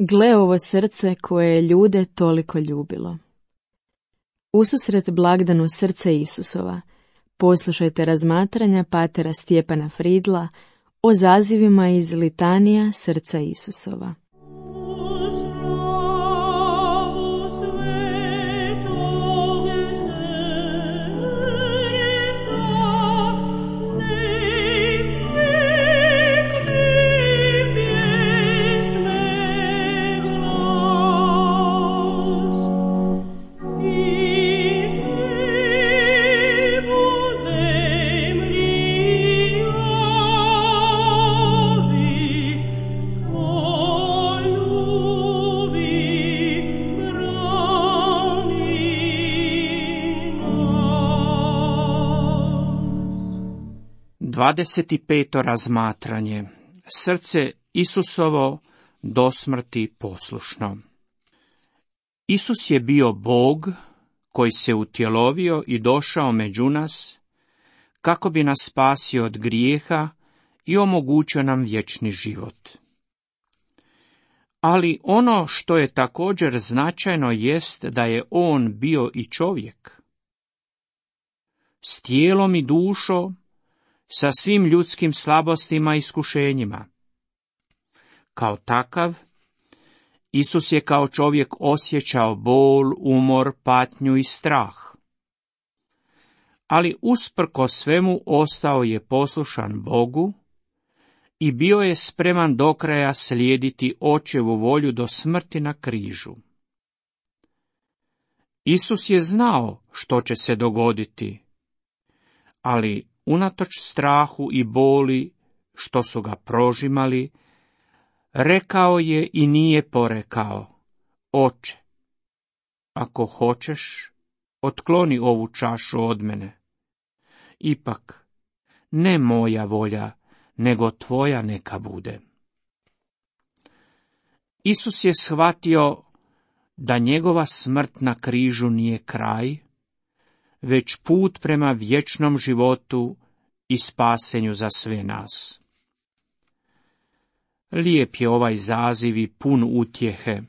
Gle ovo srce koje je ljude toliko ljubilo. Ususret blagdanu srce Isusova, poslušajte razmatranja patera Stjepana Fridla o zazivima iz litanija srca Isusova. Dvadeset peto razmatranje. Srce Isusovo do smrti poslušno. Isus je bio Bog koji se utjelovio i došao među nas kako bi nas spasio od grijeha i omogućio nam vječni život. Ali ono što je također značajno jest da je on bio i čovjek. S tijelom i dušom, sa svim ljudskim slabostima i iskušenjima. Kao takav, Isus je kao čovjek osjećao bol, umor, patnju i strah. Ali usprkos svemu ostao je poslušan Bogu i bio je spreman do kraja slijediti Očevu volju do smrti na križu. Isus je znao što će se dogoditi, ali unatoč strahu i boli što su ga prožimali, rekao je i nije porekao: Oče, ako hoćeš, otkloni ovu čašu od mene. Ipak, ne moja volja, nego tvoja neka bude. Isus je shvatio da njegova smrt na križu nije kraj, već put prema vječnom životu i spasenju za sve nas. Lijep je ovaj zaziv i pun utjehe.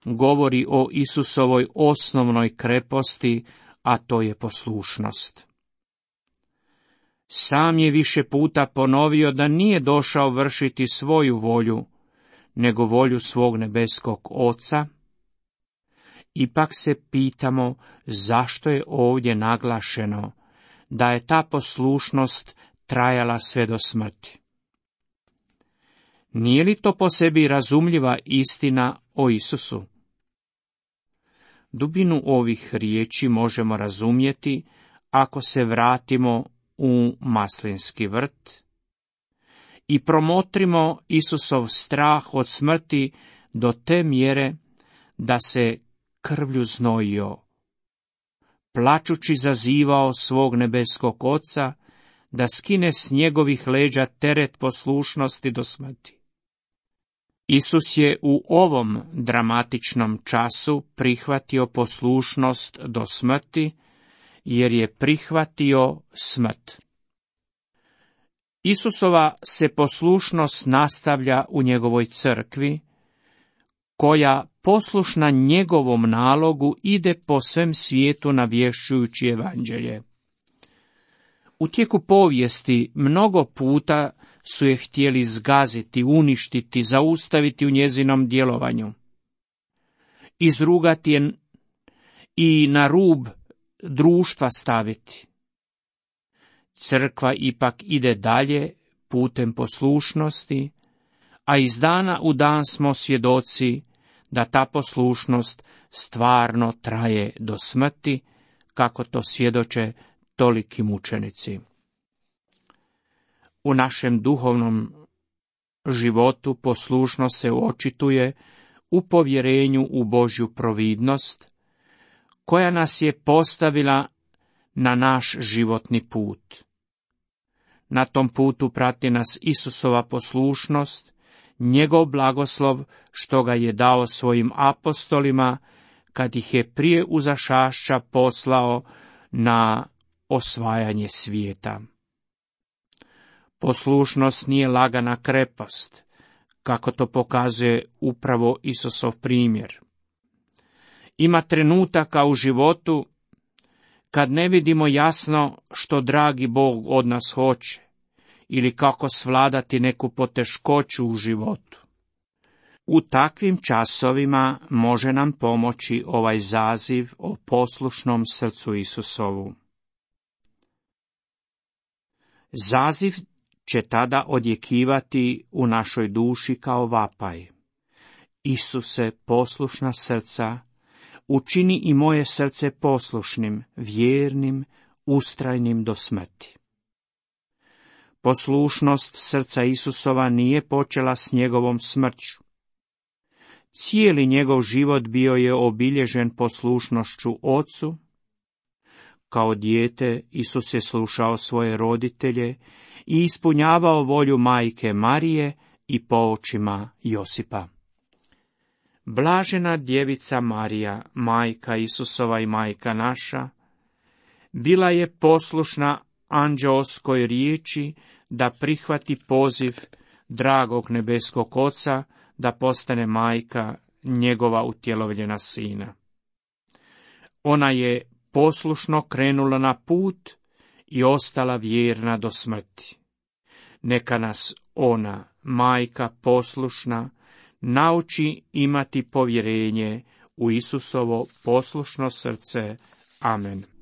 Govori o Isusovoj osnovnoj kreposti, a to je poslušnost. Sam je više puta ponovio da nije došao vršiti svoju volju, nego volju svog nebeskog Oca. Ipak se pitamo zašto je ovdje naglašeno da je ta poslušnost trajala sve do smrti. Nije li to po sebi razumljiva istina o Isusu? Dubinu ovih riječi možemo razumjeti ako se vratimo u maslinski vrt i promotrimo Isusov strah od smrti do te mjere da se krvlju znojio, plačući zazivao svog nebeskog Oca da skine s njegovih leđa teret poslušnosti do smrti. Isus je u ovom dramatičnom času prihvatio poslušnost do smrti, jer je prihvatio smrt. Isusova se poslušnost nastavlja u njegovoj crkvi, koja poslušna njegovom nalogu ide po svem svijetu navješćujući evanđelje. U tijeku povijesti mnogo puta su je htjeli zgaziti, uništiti, zaustaviti u njezinom djelovanju, izrugati je i na rub društva staviti. Crkva ipak ide dalje putem poslušnosti, a iz dana u dan smo svjedoci da ta poslušnost stvarno traje do smrti, kako to svjedoče toliki mučenici. U našem duhovnom životu poslušnost se očituje u povjerenju u Božju providnost, koja nas je postavila na naš životni put. Na tom putu prati nas Isusova poslušnost, njegov blagoslov što ga je dao svojim apostolima, kad ih je prije uzašašća poslao na osvajanje svijeta. Poslušnost nije lagana krepost, kako to pokazuje upravo Isusov primjer. Ima trenutaka u životu kad ne vidimo jasno što dragi Bog od nas hoće ili kako svladati neku poteškoću u životu. U takvim časovima može nam pomoći ovaj zaziv o poslušnom srcu Isusovu. Zaziv će tada odjekivati u našoj duši kao vapaj. Isuse, poslušna srca, učini i moje srce poslušnim, vjernim, ustrajnim do smrti. Poslušnost srca Isusova nije počela s njegovom smrću. Cijeli njegov život bio je obilježen poslušnošću Ocu. Kao dijete Isus je slušao svoje roditelje i ispunjavao volju majke Marije i po očima Josipa. Blažena djevica Marija, majka Isusova i majka naša, bila je poslušna anđeoskoj riječi da prihvati poziv dragog nebeskog Oca da postane majka njegova utjelovljena sina. Ona je poslušno krenula na put i ostala vjerna do smrti. Neka nas ona, majka poslušna, nauči imati povjerenje u Isusovo poslušno srce. Amen.